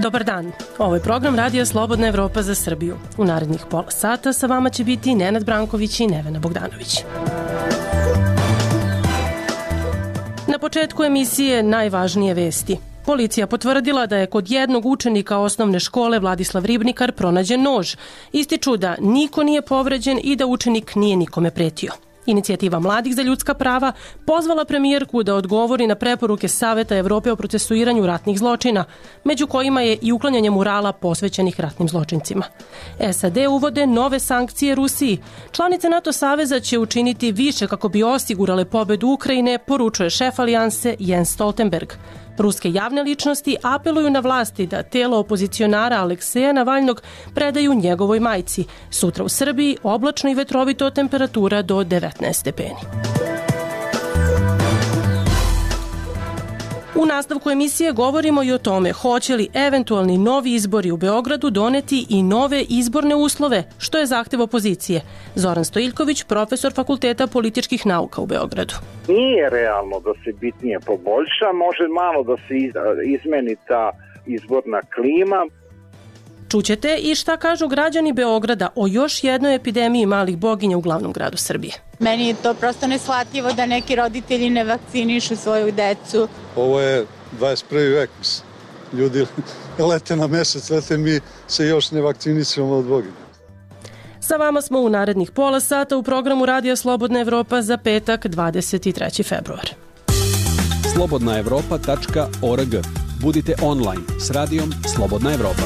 Dobar dan, ovo je program Radija Slobodna Evropa za Srbiju. U narednih pola sata sa vama će biti Nenad Branković i Nevena Bogdanović. Na početku emisije najvažnije vesti. Policija potvrdila da je kod jednog učenika osnovne škole Vladislav Ribnikar pronađen nož. Ističu da niko nije povređen i da učenik nije nikome pretio. Inicijativa Mladih za ljudska prava pozvala premijerku da odgovori na preporuke Saveta Evrope o procesuiranju ratnih zločina, među kojima je i uklanjanje murala posvećenih ratnim zločincima. SAD uvode nove sankcije Rusiji. Članice NATO saveza će učiniti više kako bi osigurale pobedu Ukrajine, poručuje šef alijanse Jens Stoltenberg. Ruske javne ličnosti apeluju na vlasti da telo opozicionara Alekseja Navalnog predaju njegovoj majci. Sutra u Srbiji oblačno i vetrovito, temperatura do 19 stepeni. U nastavku emisije govorimo i o tome hoće li eventualni novi izbori u Beogradu doneti i nove izborne uslove, što je zahtev opozicije. Zoran Stojiljković, profesor Fakulteta političkih nauka u Beogradu. Nije realno da se bitnije poboljša, može malo da se izmeni ta izborna klima. Čućete i šta kažu građani Beograda o još jednoj epidemiji malih boginja u glavnom gradu Srbije. Meni je to prosto neshvatljivo da neki roditelji ne vakcinišu svoju decu. Ovo je 21. vek. Ljudi lete na mesec, lete, mi se još ne vakcinisujemo od boginja. Sa vama smo u narednih pola sata u programu Radija Slobodna Evropa za petak 23. februar. slobodnaevropa.org. Budite online s radijom Slobodna Evropa.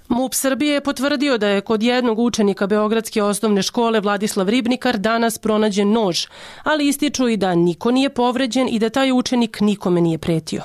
MUP Srbije je potvrdio da je kod jednog učenika Beogradske osnovne škole Vladislav Ribnikar danas pronađen nož, ali ističu i da niko nije povređen i da taj učenik nikome nije pretio.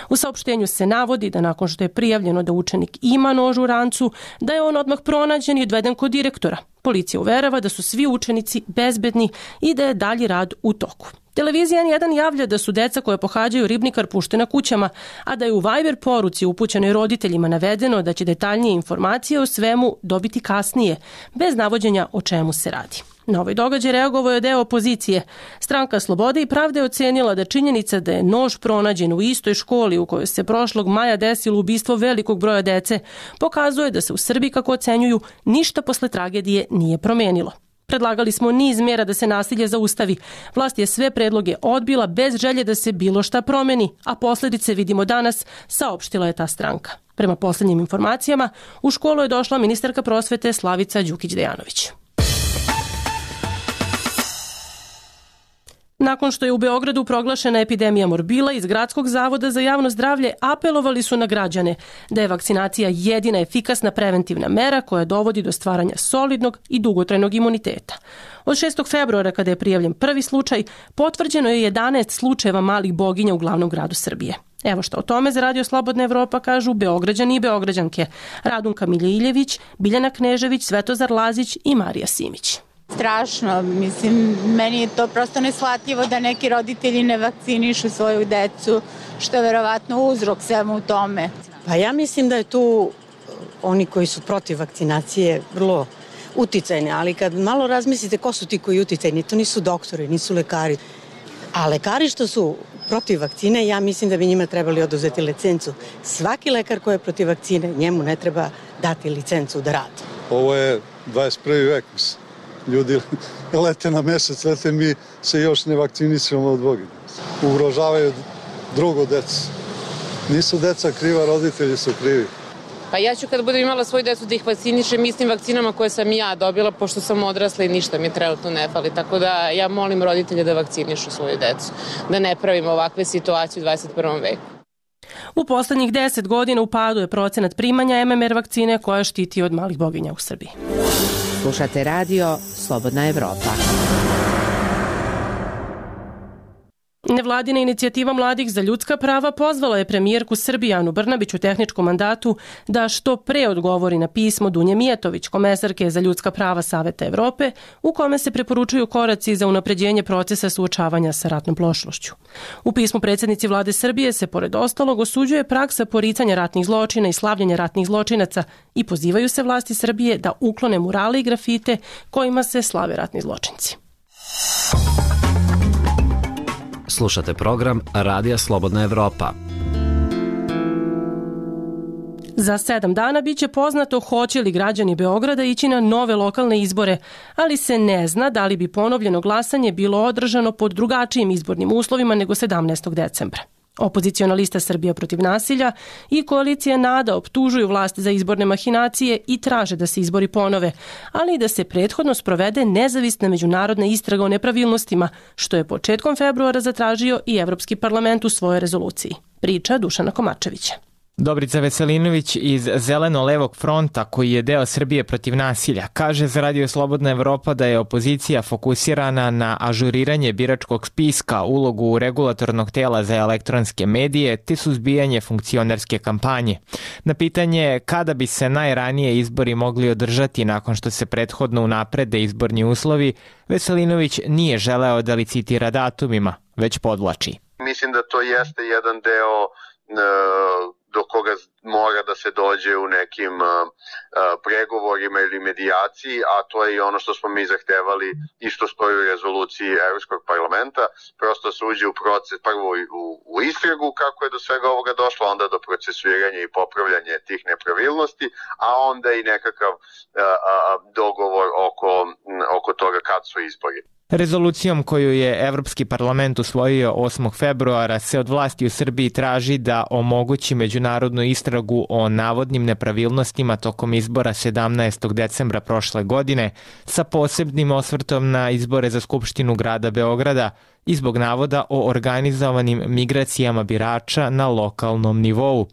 U saopštenju se navodi da nakon što je prijavljeno da učenik ima nož u rancu, da je on odmah pronađen i odveden kod direktora. Policija uverava da su svi učenici bezbedni i da je dalji rad u toku. Televizija N1 javlja da su deca koje pohađaju Ribnikar puštena kućama, a da je u Viber poruci upućenoj roditeljima navedeno da će detaljnije informacije o svemu dobiti kasnije, bez navođenja o čemu se radi. Na ovaj događaj reagovao je deo opozicije. Stranka Slobode i pravde je ocenila da činjenica da je nož pronađen u istoj školi u kojoj se prošlog maja desilo ubistvo velikog broja dece pokazuje da se u Srbiji, kako ocenjuju, ništa posle tragedije nije promenilo. Predlagali smo niz mjera da se nasilje zaustavi. Vlast je sve predloge odbila bez želje da se bilo šta promeni, a posljedice vidimo danas, saopštila je ta stranka. Prema posljednjim informacijama, u školu je došla ministarka prosvete Slavica Đukić-Dejanović. Nakon što je u Beogradu proglašena epidemija morbila, iz Gradskog zavoda za javno zdravlje apelovali su na građane da je vakcinacija jedina efikasna preventivna mera koja dovodi do stvaranja solidnog i dugotrajnog imuniteta. Od 6. februara, kada je prijavljen prvi slučaj, potvrđeno je 11 slučajeva malih boginja u glavnom gradu Srbije. Evo što o tome za Radio Slobodna Evropa kažu Beograđani i Beograđanke: Radunka Miljević, Biljana Knežević, Svetozar Lazić i Marija Simić. Strašno, mislim, meni je to prosto neshvatljivo da neki roditelji ne vakcinišu svoju decu, što je verovatno uzrok svemu u tome. Pa ja mislim da je tu oni koji su protiv vakcinacije vrlo uticajni, ali kad malo razmislite ko su ti koji uticajni, to nisu doktori, nisu lekari. A lekari što su protiv vakcine, ja mislim da bi njima trebali oduzeti licencu. Svaki lekar koji je protiv vakcine, njemu ne treba dati licencu da radi. Ovo je 21. vek. Ljudi lete na mesec, lete, mi se još ne vakcinisujemo od boginja. Ugrožavaju drugo decu. Nisu deca kriva, roditelji su krivi. Pa ja ću kad budem imala svoju decu da ih vakcinišem istim vakcinama koje sam ja dobila, pošto sam odrasla i ništa mi trenutno ne fali. Tako da ja molim roditelje da vakcinišu svoju decu, da ne pravimo ovakve situacije u 21. veku. U poslednjih 10 godina u padu je procenat primanja MMR vakcine koja štiti od malih boginja u Srbiji. Slušate radio Slobodna Evropa. Nevladina inicijativa Mladih za ljudska prava pozvala je premijerku Srbije Anu Brnabić u tehničkom mandatu da što pre odgovori na pismo Dunje Mijatović, komesarke za ljudska prava Saveta Evrope, u kome se preporučuju koraci za unapređenje procesa suočavanja sa ratnom prošlošću. U pismu predsjednici vlade Srbije se pored ostalog osuđuje praksa poricanja ratnih zločina i slavljenja ratnih zločinaca i pozivaju se vlasti Srbije da uklone murale i grafite kojima se slave ratni zločinci. Slušate program Radija Slobodna Evropa. Za 7 dana biće poznato hoće li građani Beograda ići na nove lokalne izbore, ali se ne zna da li bi ponovljeno glasanje bilo održano pod drugačijim izbornim uslovima nego 17. decembra. Opoziciona lista Srbija protiv nasilja i koalicija NADA optužuju vlast za izborne mahinacije i traže da se izbori ponove, ali i da se prethodno sprovede nezavisna međunarodna istraga o nepravilnostima, što je početkom februara zatražio i Evropski parlament u svojoj rezoluciji. Priča Dušana Komačevića. Dobrica Veselinović iz Zeleno-levog fronta, koji je deo Srbije protiv nasilja, kaže za Radio Slobodna Evropa da je opozicija fokusirana na ažuriranje biračkog spiska, ulogu regulatornog tela za elektronske medije te suzbijanje funkcionerske kampanje. Na pitanje kada bi se najranije izbori mogli održati nakon što se prethodno unaprede izborni uslovi, Veselinović nije želeo da licitira datumima, već podvlači. Mislim da to jeste jedan deo do koga mora da se dođe u nekim pregovorima ili medijaciji, a to je i ono što smo mi zahtevali i što stoji u rezoluciji Evropskog parlamenta, prosto se uđe u proces, prvo u istragu kako je do svega ovoga došlo, onda do procesuiranja i popravljanja tih nepravilnosti, a onda i nekakav dogovor oko toga kad su izbori. Rezolucijom koju je Evropski parlament usvojio 8. februara se od vlasti u Srbiji traži da omogući međunarodnu istragu o navodnim nepravilnostima tokom izbora 17. decembra prošle godine sa posebnim osvrtom na izbore za Skupštinu grada Beograda i zbog navoda o organizovanim migracijama birača na lokalnom nivou.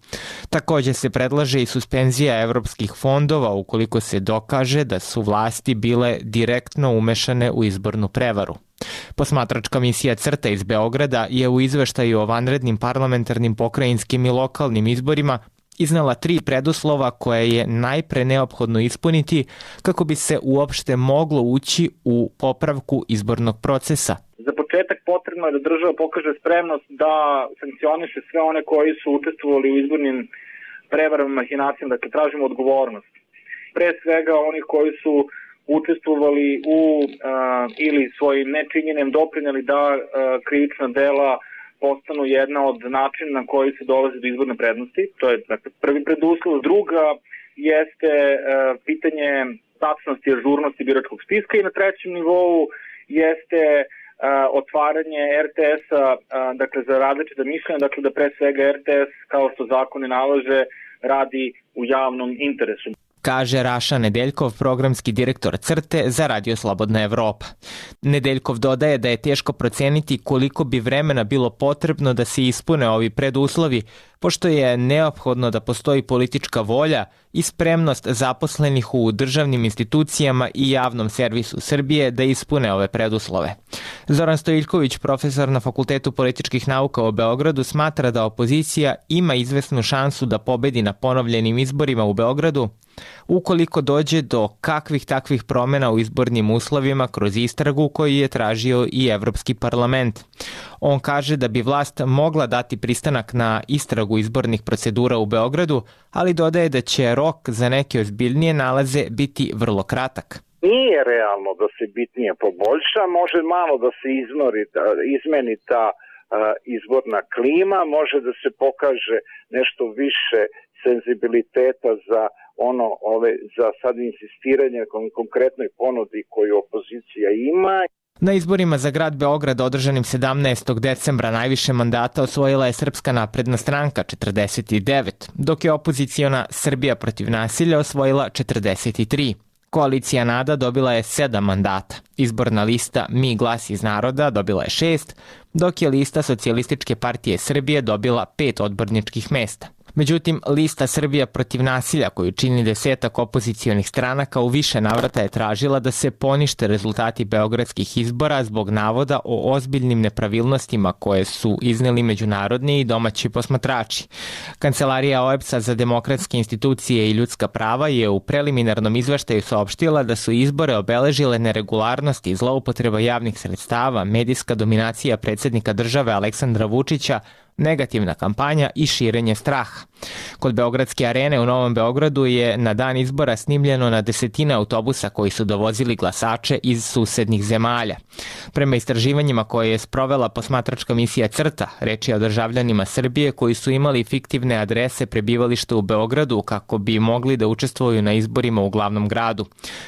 Također se predlaže i suspenzija evropskih fondova ukoliko se dokaže da su vlasti bile direktno umešane u izbornu prevaru. Posmatračka misija CRTA iz Beograda je u izveštaju o vanrednim parlamentarnim, pokrajinskim i lokalnim izborima iznala 3 preduslova koje je najpre neophodno ispuniti kako bi se uopšte moglo ući u popravku izbornog procesa. Za početak potrebno je da država pokaže spremnost da sankcioniše sve one koji su učestvovali u izbornim prevarama, mahinacijama, dakle tražimo odgovornost. Pre svega onih koji su učestvovali u ili svojim nečinjenjem doprinijeli da krivična dela postanu jedna od načina na koji se dolazi do izborne prednosti. To je dakle, prvi preduslov. Druga jeste pitanje tačnosti i ažurnosti biračkog spiska i na trećem nivou jeste otvaranje RTS-a dakle, za različite mišljenja, dakle da pre svega RTS, kao što zakon nalaže, radi u javnom interesu. Kaže Raša Nedeljkov, programski direktor CRTE za Radio Slobodna Evropa. Nedeljkov dodaje da je teško proceniti koliko bi vremena bilo potrebno da se ispune ovi preduslovi, pošto je neophodno da postoji politička volja i spremnost zaposlenih u državnim institucijama i javnom servisu Srbije da ispune ove preduslove. Zoran Stojiljković, profesor na Fakultetu političkih nauka u Beogradu, smatra da opozicija ima izvesnu šansu da pobedi na ponovljenim izborima u Beogradu, ukoliko dođe do kakvih takvih promjena u izbornim uslovima kroz istragu koju je tražio i Evropski parlament. On kaže da bi vlast mogla dati pristanak na istragu izbornih procedura u Beogradu, ali dodaje da će rok za neke ozbiljnije nalaze biti vrlo kratak. Nije realno da se bitnije poboljša, može malo da se izmeni ta izborna klima, može da se pokaže nešto više senzibiliteta za za sad insistiranje konkretnoj ponudi koju opozicija ima. Na izborima za grad Beograd održanim 17. decembra najviše mandata osvojila je Srpska napredna stranka 49, dok je opoziciona Srbija protiv nasilja osvojila 43. Koalicija NADA dobila je 7 mandata. Izborna lista Mi glas iz naroda dobila je 6, dok je lista Socijalističke partije Srbije dobila 5 odborničkih mesta. Međutim, lista Srbija protiv nasilja, koju čini 10 opozicionih stranaka, u više navrata je tražila da se ponište rezultati beogradskih izbora zbog navoda o ozbiljnim nepravilnostima koje su izneli međunarodni i domaći posmatrači. Kancelarija OEBS-a za demokratske institucije i ljudska prava je u preliminarnom izveštaju saopštila da su izbore obeležile neregularnosti, zloupotreba javnih sredstava, medijska dominacija predsjednika države Aleksandra Vučića, negativna kampanja i širenje straha. Kod Beogradske arene u Novom Beogradu je na dan izbora snimljeno na desetine autobusa koji su dovozili glasače iz susednih zemalja. Prema istraživanjima koje je sprovela posmatračka misija CRTA, reč je o državljanima Srbije koji su imali fiktivne adrese prebivališta u Beogradu kako bi mogli da učestvuju na izborima u glavnom gradu.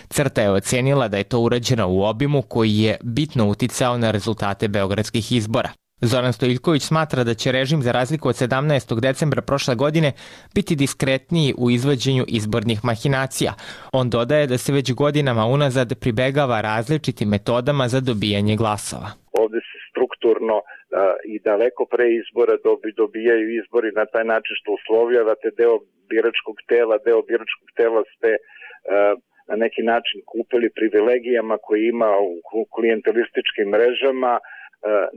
CRTA je ocenila da je to urađeno u obimu koji je bitno uticao na rezultate beogradskih izbora. Zoran Stojiljković smatra da će režim, za razliku od 17. decembra prošle godine, biti diskretniji u izvođenju izbornih mahinacija. On dodaje da se već godinama unazad pribegava različitim metodama za dobijanje glasova. Ovde se strukturno i daleko pre izbora dobijaju izbori na taj način što uslovljavate deo biračkog tela ste na neki način kupili privilegijama koje ima u klijentelističkim mrežama.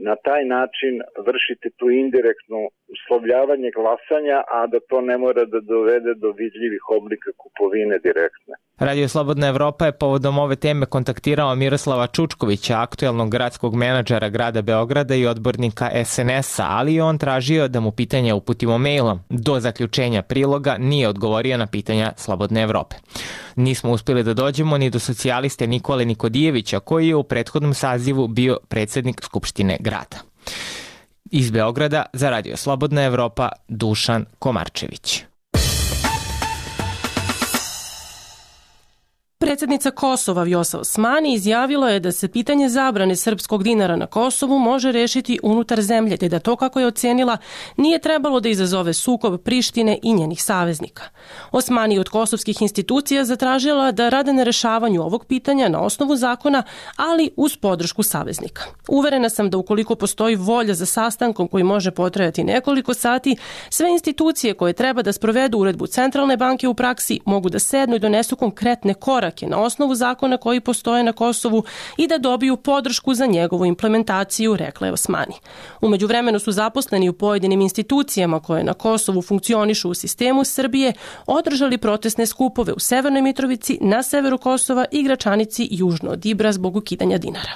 Na taj način vršite tu indirektno uslovljavanje glasanja, a da to ne mora da dovede do vidljivih oblika kupovine direktne. Radio Slobodna Evropa je povodom ove teme kontaktirao Miroslava Čučkovića, aktuelnog gradskog menadžera grada Beograda i odbornika SNS-a, ali je on tražio da mu pitanje uputimo mailom. Do zaključenja priloga nije odgovorio na pitanja Slobodne Evrope. Nismo uspjeli da dođemo ni do socijaliste Nikole Nikodijevića, koji je u prethodnom sazivu bio predsjednik Skupštine grada. Iz Beograda za Radio Slobodna Evropa, Dušan Komarčević. Predsjednica Kosova Vjosa Osmani izjavila je da se pitanje zabrane srpskog dinara na Kosovu može rešiti unutar zemlje, te da to, kako je ocenila, nije trebalo da izazove sukob Prištine i njenih saveznika. Osmani od kosovskih institucija zatražila da rade na rešavanju ovog pitanja na osnovu zakona, ali uz podršku saveznika. Uverena sam da ukoliko postoji volja za sastankom koji može potrajati nekoliko sati, sve institucije koje treba da sprovedu uredbu Centralne banke u praksi mogu da sednu i donesu konkretne korake na osnovu zakona koji postoje na Kosovu i da dobiju podršku za njegovu implementaciju, rekla je Osmani. U međuvremenu su zaposleni u pojedinim institucijama koje na Kosovu funkcionišu u sistemu Srbije održali protestne skupove u Severnoj Mitrovici, na severu Kosova i Gračanici južno od Ibra zbog ukidanja dinara.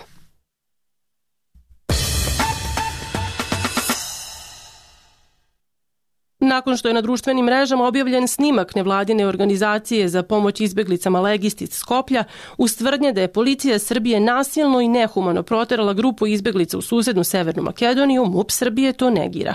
Nakon što je na društvenim mrežama objavljen snimak nevladine organizacije za pomoć izbeglicama Legist iz Skoplja, uz tvrdnje da je policija Srbije nasilno i nehumano proterala grupu izbeglica u susednu Severnu Makedoniju, MUP Srbije to negira.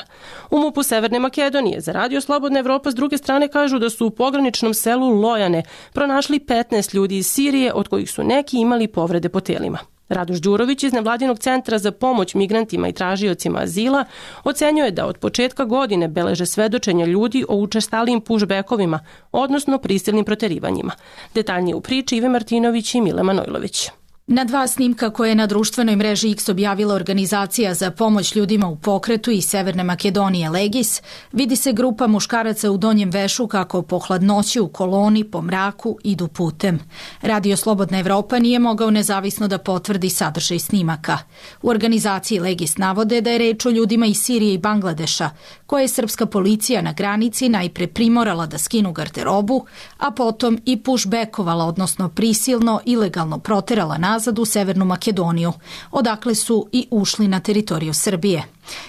U MUP-u Severne Makedonije za Radio Slobodna Evropa s druge strane kažu da su u pograničnom selu Lojane pronašli 15 ljudi iz Sirije, od kojih su neki imali povrede po telima. Radoš Đurović iz Nevladinog centra za pomoć migrantima i tražiocima azila ocenjuje da od početka godine beleže svedočenja ljudi o učestalijim pushbackovima, odnosno prisilnim proterivanjima. Detaljnije u priči Ive Martinović i Mile Manojlović. Na dva snimka koje je na društvenoj mreži X objavila organizacija za pomoć ljudima u pokretu iz Severne Makedonije Legis, vidi se grupa muškaraca u donjem vešu kako po hladnoći u koloni, po mraku idu putem. Radio Slobodna Evropa nije mogao nezavisno da potvrdi sadržaj snimaka. U organizaciji Legis navode da je reč o ljudima iz Sirije i Bangladeša, koje je srpska policija na granici najpre primorala da skinu garderobu, a potom i pushbackovala, odnosno prisilno, ilegalno proterala nazad u Severnu Makedoniju, odakle su i ušli na teritoriju Srbije.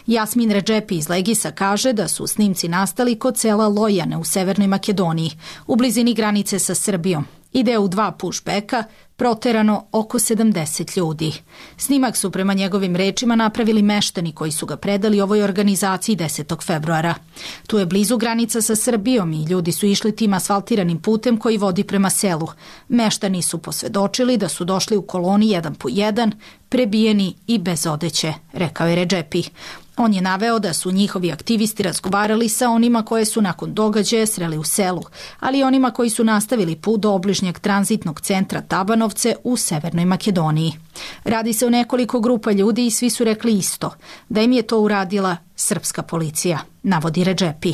Jasmin Redžepi iz Legisa kaže da su snimci nastali kod sela Lojane u Severnoj Makedoniji, u blizini granice sa Srbijom. Ide u 2 pushbacka, proterano oko 70 ljudi. Snimak su prema njegovim rečima napravili meštani koji su ga predali ovoj organizaciji 10. februara. Tu je blizu granica sa Srbijom i ljudi su išli tim asfaltiranim putem koji vodi prema selu. Meštani su posvedočili da su došli u koloni 1 po 1, prebijeni i bez odeće, rekao je Redžepi. On je naveo da su njihovi aktivisti razgovarali sa onima koje su nakon događaja sreli u selu, ali i onima koji su nastavili put do obližnjeg tranzitnog centra Tabanovce u Severnoj Makedoniji. Radi se o nekoliko grupa ljudi i svi su rekli isto, da im je to uradila srpska policija, navodi Redžepi.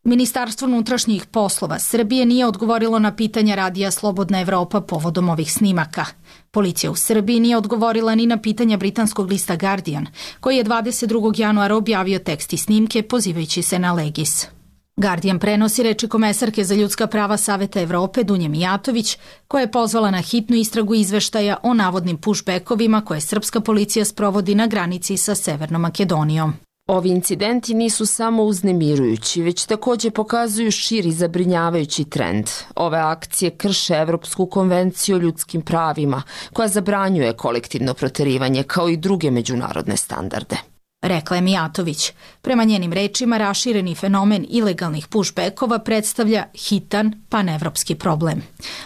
Ministarstvo unutrašnjih poslova Srbije nije odgovorilo na pitanja Radija Slobodna Evropa povodom ovih snimaka. Policija u Srbiji nije odgovorila ni na pitanja britanskog lista Guardian, koji je 22. januara objavio tekst i snimke pozivajući se na Legis. Guardian prenosi reči komesarke za ljudska prava Saveta Evrope Dunje Mijatović, koja je pozvala na hitnu istragu izveštaja o navodnim pushbackovima koje srpska policija sprovodi na granici sa Severnom Makedonijom. Ovi incidenti nisu samo uznemirujući, već takođe pokazuju širi zabrinjavajući trend. Ove akcije krše Evropsku konvenciju o ljudskim pravima, koja zabranjuje kolektivno proterivanje kao i druge međunarodne standarde. Rekla je Mijatović. Prema njenim rečima, rašireni fenomen ilegalnih pushbackova predstavlja hitan panevropski problem.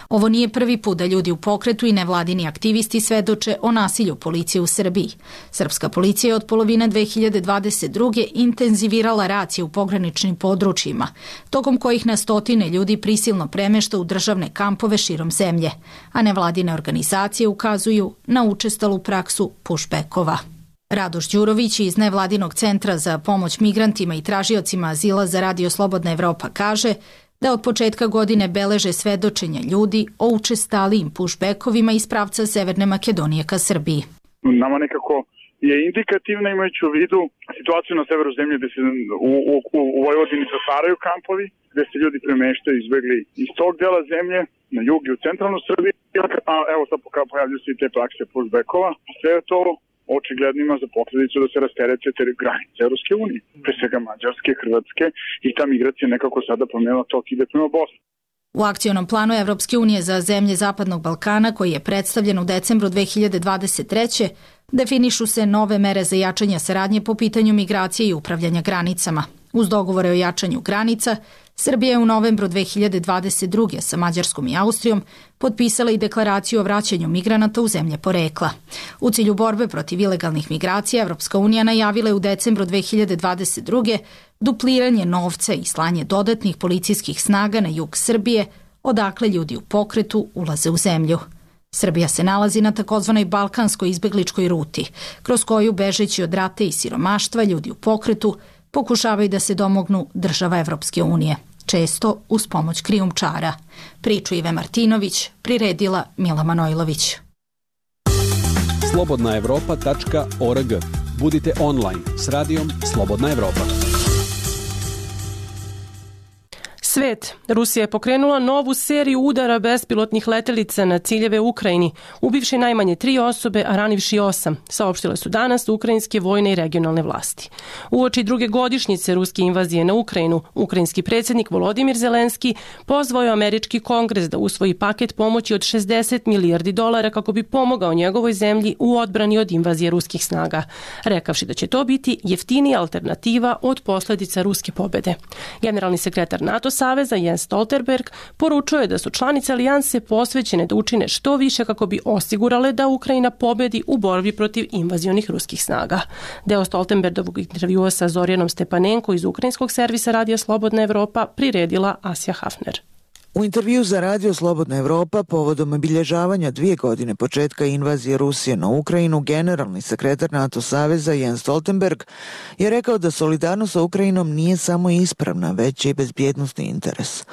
Ovo nije prvi put da ljudi u pokretu i nevladini aktivisti svedoče o nasilju policije u Srbiji. Srpska policija je od polovine 2022. intenzivirala racije u pograničnim područjima, tokom kojih na stotine ljudi prisilno premešta u državne kampove širom zemlje, a nevladine organizacije ukazuju na učestalu praksu pushbackova. Radoš Đurović iz nevladinog centra za pomoć migrantima i tražiocima azila za Radio Slobodna Evropa kaže da od početka godine beleže svedočenja ljudi o učestalijim pushbackovima iz pravca Severne Makedonije ka Srbiji. Nama nekako je indikativna imajući u vidu situaciju na severu zemlje gde se u Vojvodini zatvaraju kampovi, gde se ljudi premeštaju izbegli iz tog dela zemlje na jug i u centralnu Srbiju, a evo sad pojavljuju se i te prakse pushbackova. Sve to očigledno ima za posledicu da se rasterete granice Evropske unije, pre svega Mađarske, Hrvatske, i ta migracija nekako sada promenila tok ide prema Bosni. U akcionom planu Evropske unije za zemlje Zapadnog Balkana, koji je predstavljen u decembru 2023. definišu se nove mere za jačanje saradnje po pitanju migracije i upravljanja granicama. Uz dogovore o jačanju granica, Srbija je u novembru 2022. sa Mađarskom i Austrijom potpisala i deklaraciju o vraćanju migranata u zemlje porekla. U cilju borbe protiv ilegalnih migracija, Evropska unija najavila je u decembru 2022. dupliranje novca i slanje dodatnih policijskih snaga na jug Srbije, odakle ljudi u pokretu ulaze u zemlju. Srbija se nalazi na takozvanoj balkanskoj izbegličkoj ruti, kroz koju, bežeći od rata i siromaštva, ljudi u pokretu pokušavaju da se domognu država Evropske unije, često uz pomoć krijumčara. Priču Ive Martinović priredila Mila Manojlović. slobodnaevropa.org. Budite online s radijom Slobodna Evropa. Svet. Rusija je pokrenula novu seriju udara bespilotnih letelica na ciljeve u Ukrajini, ubivši najmanje 3 osobe, a ranivši 8, saopštile su danas ukrajinske vojne i regionalne vlasti. Uoči druge godišnjice ruske invazije na Ukrajinu, ukrajinski predsjednik Volodimir Zelenski pozvao je američki kongres da usvoji paket pomoći od $60 milijardi kako bi pomogao njegovoj zemlji u odbrani od invazije ruskih snaga, rekavši da će to biti jeftinija alternativa od posljedica ruske pobede. Generalni sekretar NATO saveza Jens Stoltenberg poručio je da su članice alijanse posvećene da učine što više kako bi osigurale da Ukrajina pobedi u borbi protiv invazionih ruskih snaga. Deo Stoltenbergovog intervjua sa Zorjanom Stepanenko iz ukrajinskog servisa Radio Slobodna Evropa priredila Asja Hafner. U intervju za Radio Slobodna Evropa povodom obilježavanja 2 godine početka invazije Rusije na Ukrajinu, generalni sekretar NATO saveza Jens Stoltenberg je rekao da solidarnost sa Ukrajinom nije samo ispravna, već i bezbjednosni interes.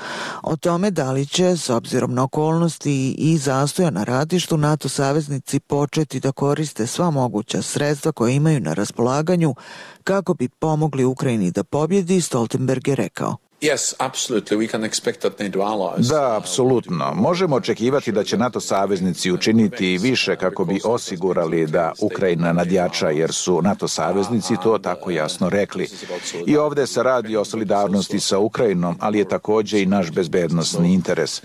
O tome da li će, s obzirom na okolnosti i zastoja na ratištu, NATO saveznici početi da koriste sva moguća sredstva koje imaju na raspolaganju kako bi pomogli Ukrajini da pobjedi, Stoltenberg je rekao. Da, apsolutno. Možemo očekivati da će NATO saveznici učiniti više kako bi osigurali da Ukrajina nadjača, jer su NATO saveznici to tako jasno rekli. I ovdje se radi o solidarnosti sa Ukrajinom, ali je također i naš bezbednosni interes.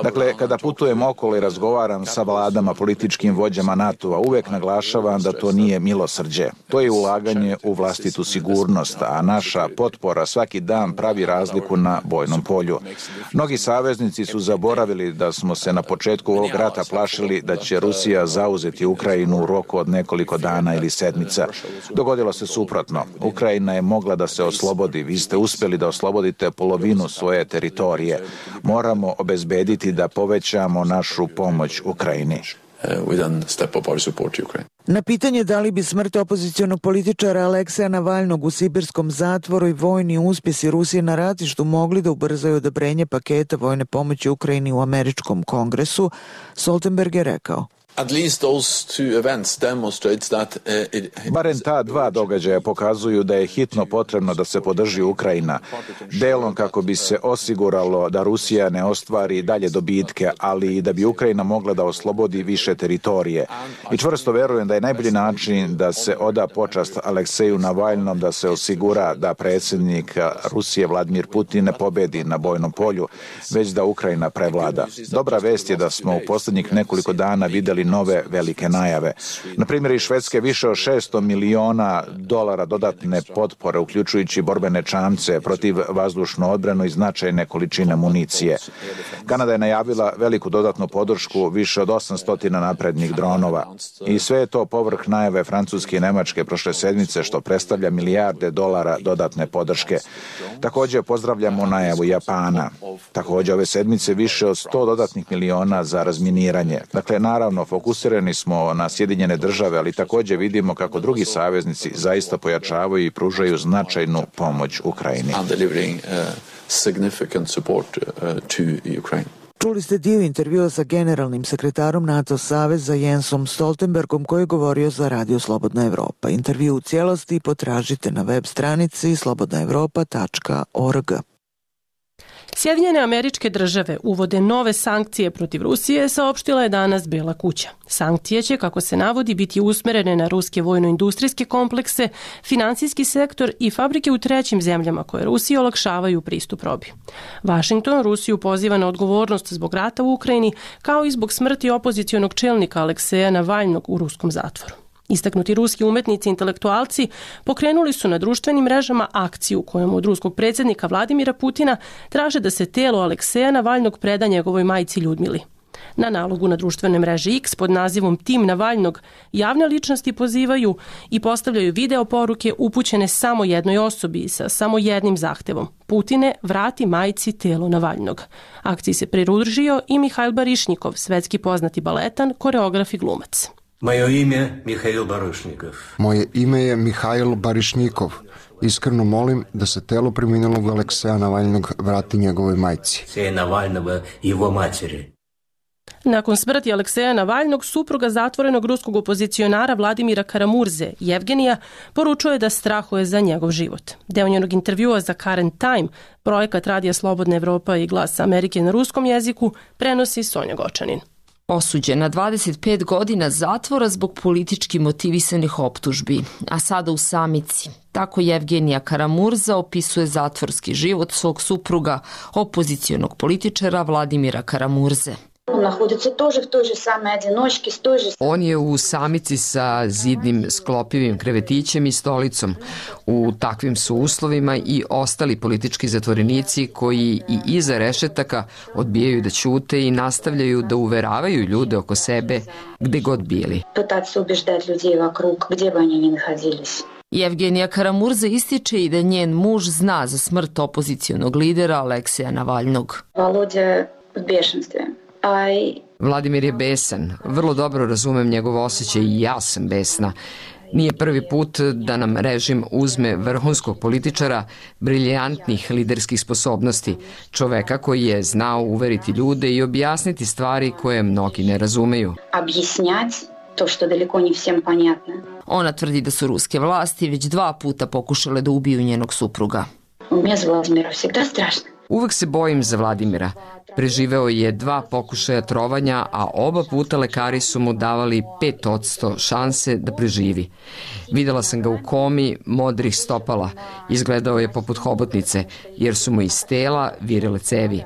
Dakle, kada putujem okolo i razgovaram sa vladama, političkim vođama NATO-a, uvek naglašavam da to nije milosrđe. To je ulaganje u vlastitu sigurnost, a naša potpora svaki dan pravi razliku na bojnom polju. Mnogi saveznici su zaboravili da smo se na početku ovog rata plašili da će Rusija zauzeti Ukrajinu u roku od nekoliko dana ili sedmica. Dogodilo se suprotno. Ukrajina je mogla da se oslobodi. Vi ste uspjeli da oslobodite polovinu svoje teritorije. Moramo obezbediti da povećamo našu pomoć Ukrajini. Na pitanje da li bi smrt opozicionog političara Alekseja Navalnog u sibirskom zatvoru i vojni uspjesi Rusije na ratištu mogli da ubrzaju odobrenje paketa vojne pomoći Ukrajini u američkom kongresu, Stoltenberg je rekao. Barem ta dva događaja pokazuju da je hitno potrebno da se podrži Ukrajina, delom kako bi se osiguralo da Rusija ne ostvari dalje dobitke, ali i da bi Ukrajina mogla da oslobodi više teritorije. I čvrsto verujem da je najbolji način da se oda počast Alekseju Navalnom, da se osigura da predsjednik Rusije Vladimir Putin ne pobedi na bojnom polju, već da Ukrajina prevlada. Dobra vest je da smo u posljednjih nekoliko dana vidjeli nove velike najave. Na primjer, iz Švedske više od $600 miliona dodatne potpore, uključujući borbene čamce, protiv vazdušnu odbranu i značajne količine municije. Kanada je najavila veliku dodatnu podršku, više od 800 naprednih dronova. I sve je to povrh najave Francuske i Nemačke prošle sedmice, što predstavlja milijarde dolara dodatne podrške. Također pozdravljamo najavu Japana. Također ove sedmice više od 100 dodatnih miliona za razminiranje. Dakle, naravno, fokusirani smo na Sjedinjene države, ali također vidimo kako drugi saveznici zaista pojačavaju i pružaju značajnu pomoć Ukrajini. Čuli ste dio intervjua sa generalnim sekretarom NATO saveza Jensom Stoltenbergom koji je govorio za Radio Slobodna Evropa. Intervju u cijelosti potražite na web stranici slobodnaevropa.org. Sjedinjene Američke Države uvode nove sankcije protiv Rusije, saopštila je danas Bela kuća. Sankcije će, kako se navodi, biti usmerene na ruske vojno-industrijske komplekse, finansijski sektor i fabrike u trećim zemljama koje Rusiji olakšavaju pristup robi. Vašington Rusiju poziva na odgovornost zbog rata u Ukrajini, kao i zbog smrti opozicionog čelnika Alekseja Navalnog u ruskom zatvoru. Istaknuti ruski umetnici i intelektualci pokrenuli su na društvenim mrežama akciju kojom od ruskog predsjednika Vladimira Putina traže da se telo Alekseja Navalnog preda njegovoj majci Ljudmili. Na nalogu na društvenoj mreži X pod nazivom Tim Navalnog javne ličnosti pozivaju i postavljaju video poruke upućene samo jednoj osobi sa samo jednim zahtevom. Putine, vrati majci telo Navalnog. Akciji se pridružio i Mihajl Barišnikov, svetski poznati baletan, koreograf i glumac. Moje ime Mihail Barušnikov. Moje ime je Mihail Barišnikov. Iskreno molim da se telo preminulog Alekseja Navalnog vrati njegovoj majci. Navalnova i jeho materi. Nakon smrti Alekseja Navalnog, supruga zatvorenog ruskog opozicionara Vladimira Karamurze, Jevgenija, poručuje da strahuje za njegov život. Deo njenog intervjua za Current Time, projekat Radija Slobodna Evropa i Glas Amerike na ruskom jeziku, prenosi Sonja Gočanin. Osuđen na 25 godina zatvora zbog politički motivisanih optužbi, a sada u samici. Tako Jevgenija Karamurza opisuje zatvorski život svog supruga, opozicionog političara Vladimira Karamurze. On je u samici sa zidnim sklopivim krevetićem i stolicom. U takvim su uslovima i ostali politički zatvorenici koji i iza rešetaka odbijaju da ćute i nastavljaju da uveravaju ljude oko sebe gde god bili. Jevgenija Karamurza ističe i da njen muž zna za smrt opozicionog lidera Alekseja Navalnog. Vladimir je besan, vrlo dobro razumem njegov osjećaj i ja sam besna. Nije prvi put da nam režim uzme vrhunskog političara, briljantnih liderskih sposobnosti, čoveka koji je znao uveriti ljude i objasniti stvari koje mnogi ne razumeju. To što daleko ne всем понятно. Ona tvrdi da su ruske vlasti već 2 puta pokušale da ubiju njenog supruga. Мне за Владимира всегда страшно. Uvek se bojim za Vladimira. Preživeo je 2 pokušaja trovanja, a oba puta lekari su mu davali 5% šanse da preživi. Videla sam ga u komi modrih stopala. Izgledao je poput hobotnice, jer su mu iz tela virile cevi.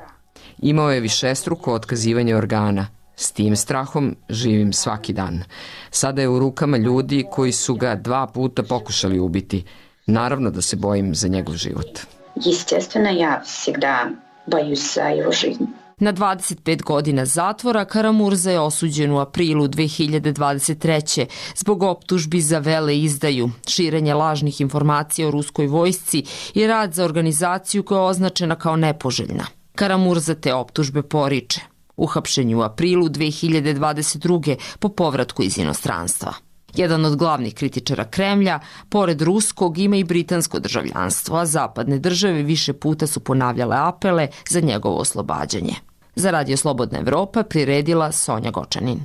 Imao je višestruko otkazivanje organa. S tim strahom živim svaki dan. Sada je u rukama ljudi koji su ga 2 puta pokušali ubiti. Naravno da se bojim za njegov život. Естественно, я всегда боюсь за его жизнь. Na 25 godina zatvora Karamurza je osuđen u aprilu 2023. zbog optužbi za veleizdaju, širenje lažnih informacija o ruskoj vojsci i rad za organizaciju koja je označena kao nepoželjna. Karamurza te optužbe poriče. Uhapšen je u aprilu 2022. po povratku iz inostranstva. Jedan od glavnih kritičara Kremlja, pored ruskog, ima i britansko državljanstvo, a zapadne države više puta su ponavljale apele za njegovo oslobađanje. Za Radio Slobodna Evropa priredila Sonja Gočanin.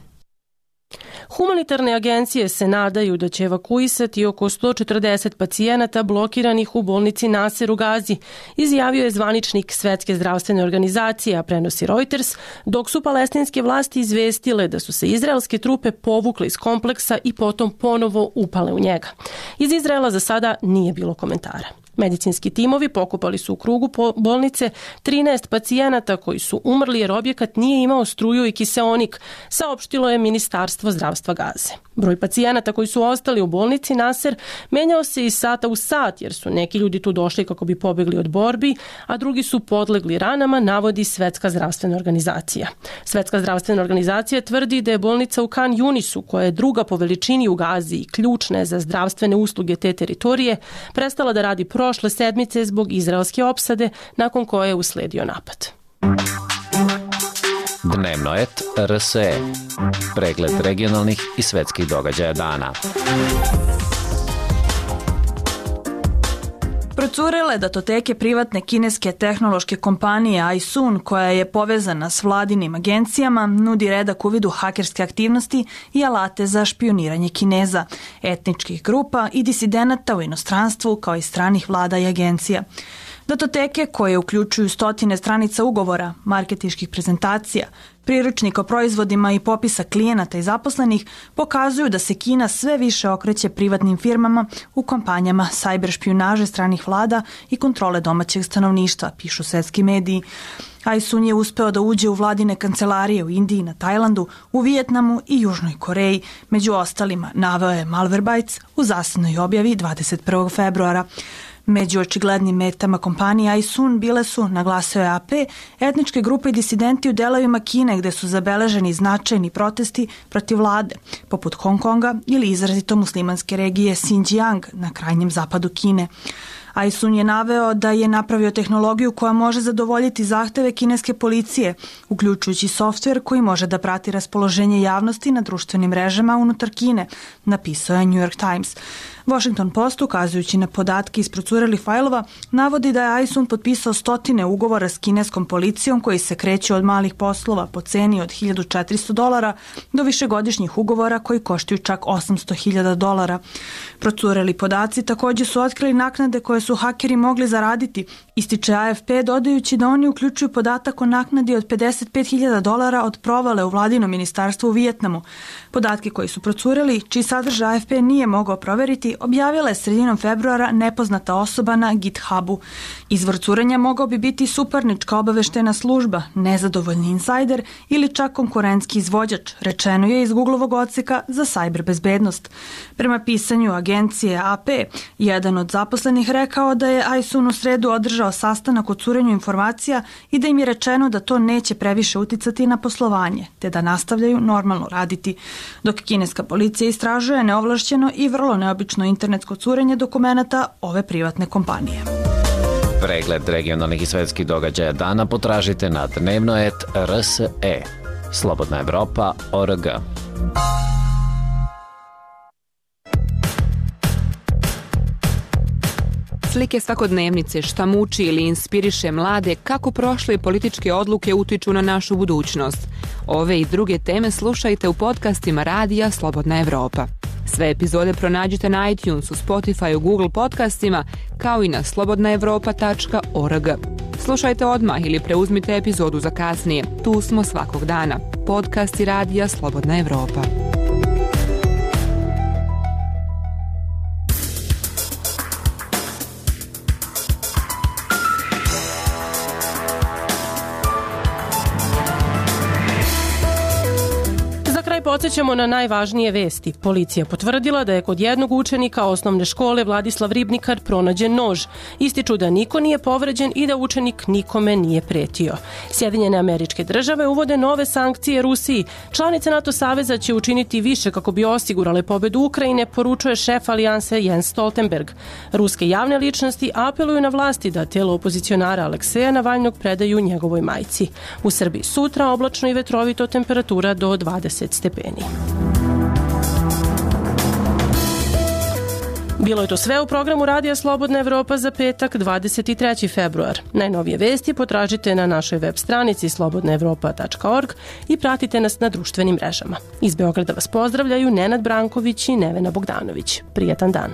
Humanitarne agencije se nadaju da će evakuisati oko 140 pacijenata blokiranih u bolnici Naser u Gazi, izjavio je zvaničnik Svetske zdravstvene organizacije, a prenosi Reuters, dok su palestinske vlasti izvestile da su se izraelske trupe povukle iz kompleksa i potom ponovo upale u njega. Iz Izraela za sada nije bilo komentara. Medicinski timovi pokupali su u krugu bolnice 13 pacijenata koji su umrli jer objekat nije imao struju i kiseonik, saopštilo je Ministarstvo zdravstva Gaze. Broj pacijenata koji su ostali u bolnici Naser menjao se iz sata u sat jer su neki ljudi tu došli kako bi pobegli od borbi, a drugi su podlegli ranama, navodi Svetska zdravstvena organizacija. Svetska zdravstvena organizacija tvrdi da je bolnica u Kan Junisu, koja je druga po veličini u Gazi i ključna je za zdravstvene usluge te teritorije, prestala da radi prošle sedmice zbog izraelske opsade, nakon koje je usledio napad. Dnevno et RSE. Pregled regionalnih i svetskih događaja dana. Procurile datoteke privatne kineske tehnološke kompanije iSun, koja je povezana s vladinim agencijama, nudi redak uvid u hakerske aktivnosti i alate za špioniranje Kineza, etničkih grupa i disidenata u inostranstvu, kao i stranih vlada i agencija. Datoteke, koje uključuju stotine stranica ugovora, marketinških prezentacija, priručnika o proizvodima i popisa klijenata i zaposlenih, pokazuju da se Kina sve više okreće privatnim firmama u kampanjama sajber špijunaže stranih vlada i kontrole domaćeg stanovništva, pišu svetski mediji. iSun je uspeo da uđe u vladine kancelarije u Indiji, na Tajlandu, u Vijetnamu i Južnoj Koreji. Među ostalima, naveo je Malwarebytes u zasebnoj objavi 21. februara. Među očiglednim metama kompanije iSun bile su, naglasio je AP, etničke grupe i disidenti u delovima Kine gde su zabeleženi značajni protesti protiv vlade, poput Hong Konga ili izrazito muslimanske regije Xinjiang na krajnjem zapadu Kine. iSun je naveo da je napravio tehnologiju koja može zadovoljiti zahteve kineske policije, uključujući softver koji može da prati raspoloženje javnosti na društvenim mrežama unutar Kine, napisao je New York Times. Washington Post, ukazujući na podatke iz procurelih fajlova, navodi da je iSun potpisao stotine ugovora s kineskom policijom koji se kreću od malih poslova po ceni od $1.400 do višegodišnjih ugovora koji koštaju čak $800.000. Procureli podaci također su otkrili naknade koje su hakeri mogli zaraditi, ističe AFP, dodajući da oni uključuju podatak o naknadi od $55.000 od provale u vladinom ministarstvu u Vijetnamu. Podatke koji su procureli, čiji sadržaj AFP nije mogao proveriti, objavila je sredinom februara nepoznata osoba na GitHubu. Izvor curenja mogao bi biti suparnička obaveštena služba, nezadovoljni insajder ili čak konkurentski izvođač, rečeno je iz Googlovog odseka za sajber bezbednost. Prema pisanju agencije AP, jedan od zaposlenih rekao da je iSun u sredu održao sastanak o curenju informacija i da im je rečeno da to neće previše uticati na poslovanje, te da nastavljaju normalno raditi. Dok kineska policija istražuje neovlašćeno i vrlo neobično internetsko curenje dokumenata ove privatne kompanije. Pregled regionalnih i svetskih događaja dana potražite na dnevno et RSE. Slobodna Evropa.org. Slike svakodnevnice, šta muči ili inspiriše mlade, kako prošle političke odluke utiču na našu budućnost. Ove i druge teme slušajte u podcastima Radija Slobodna Evropa. Sve epizode pronađite na iTunesu, Spotifyu, Google podcastima, kao i na slobodnaevropa.org. Slušajte odmah ili preuzmite epizodu za kasnije. Tu smo svakog dana. Podcasti Radija Slobodna Evropa. Podsjećamo na najvažnije vesti. Policija potvrdila da je kod jednog učenika osnovne škole Vladislav Ribnikar pronađen nož. Ističu da niko nije povređen i da učenik nikome nije pretio. Sjedinjene Američke Države uvode nove sankcije Rusiji. Članice NATO saveza će učiniti više kako bi osigurale pobedu Ukrajine, poručuje šef alijanse Jens Stoltenberg. Ruske javne ličnosti apeluju na vlasti da telo opozicionara Alekseja Navalnog predaju njegovoj majci. U Srbiji sutra oblačno i vetrovito, temperatura do 20 stepeni. Bilo je to sve u programu Radija Slobodna Evropa za petak 23. februar. Najnovije vesti potražite na našoj web stranici slobodnaevropa.org i pratite nas na društvenim mrežama. Iz Beograda vas pozdravljaju Nenad Branković i Nevena Bogdanović. Prijetan dan.